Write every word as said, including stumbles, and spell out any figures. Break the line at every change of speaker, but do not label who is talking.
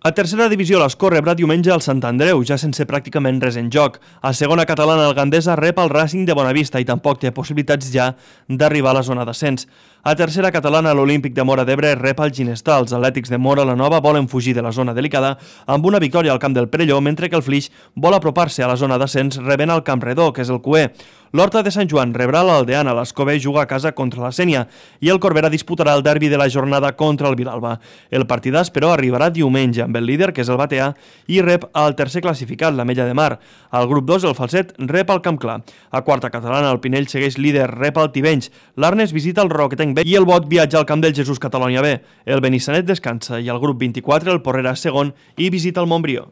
A tercera divisió, l'Escó rebrà diumenge el Sant Andreu, ja sense pràcticament res en joc. A segona catalana, el Gandesa rep el Racing de Bonavista i tampoc té possibilitats ja d'arribar a la zona d'ascens. A tercera catalana, l'Olímpic de Móra d'Ebre rep el Ginestar. Els atlètics de Móra la Nova volen fugir de la zona delicada amb una victòria al camp del Perelló, mentre que el Flix vol apropar-se a la zona d'ascens rebent el Camp Redó, que és el Cué. L'Horta de Sant Joan rebrà l'Aldeana, l'Escobé juga a casa contra la Sénia i el Corbera disputarà el derbi de la jornada contra el Vilalba. El partidàs, però, arribarà diumenge amb el líder, que és el Batea, i rep el tercer classificat, l'Ametlla de Mar. Al grup dos, el Falset rep el Camp Clar. A quarta catalana, el Pinell segueix líder, rep el Tivenys. L'Arnes visita el Roquetenc B i el Bot viatja al camp del Jesús Catalonia B. El Benissanet descansa i al grup vint-i-quatre el Porrera segon i visita el Montbrió.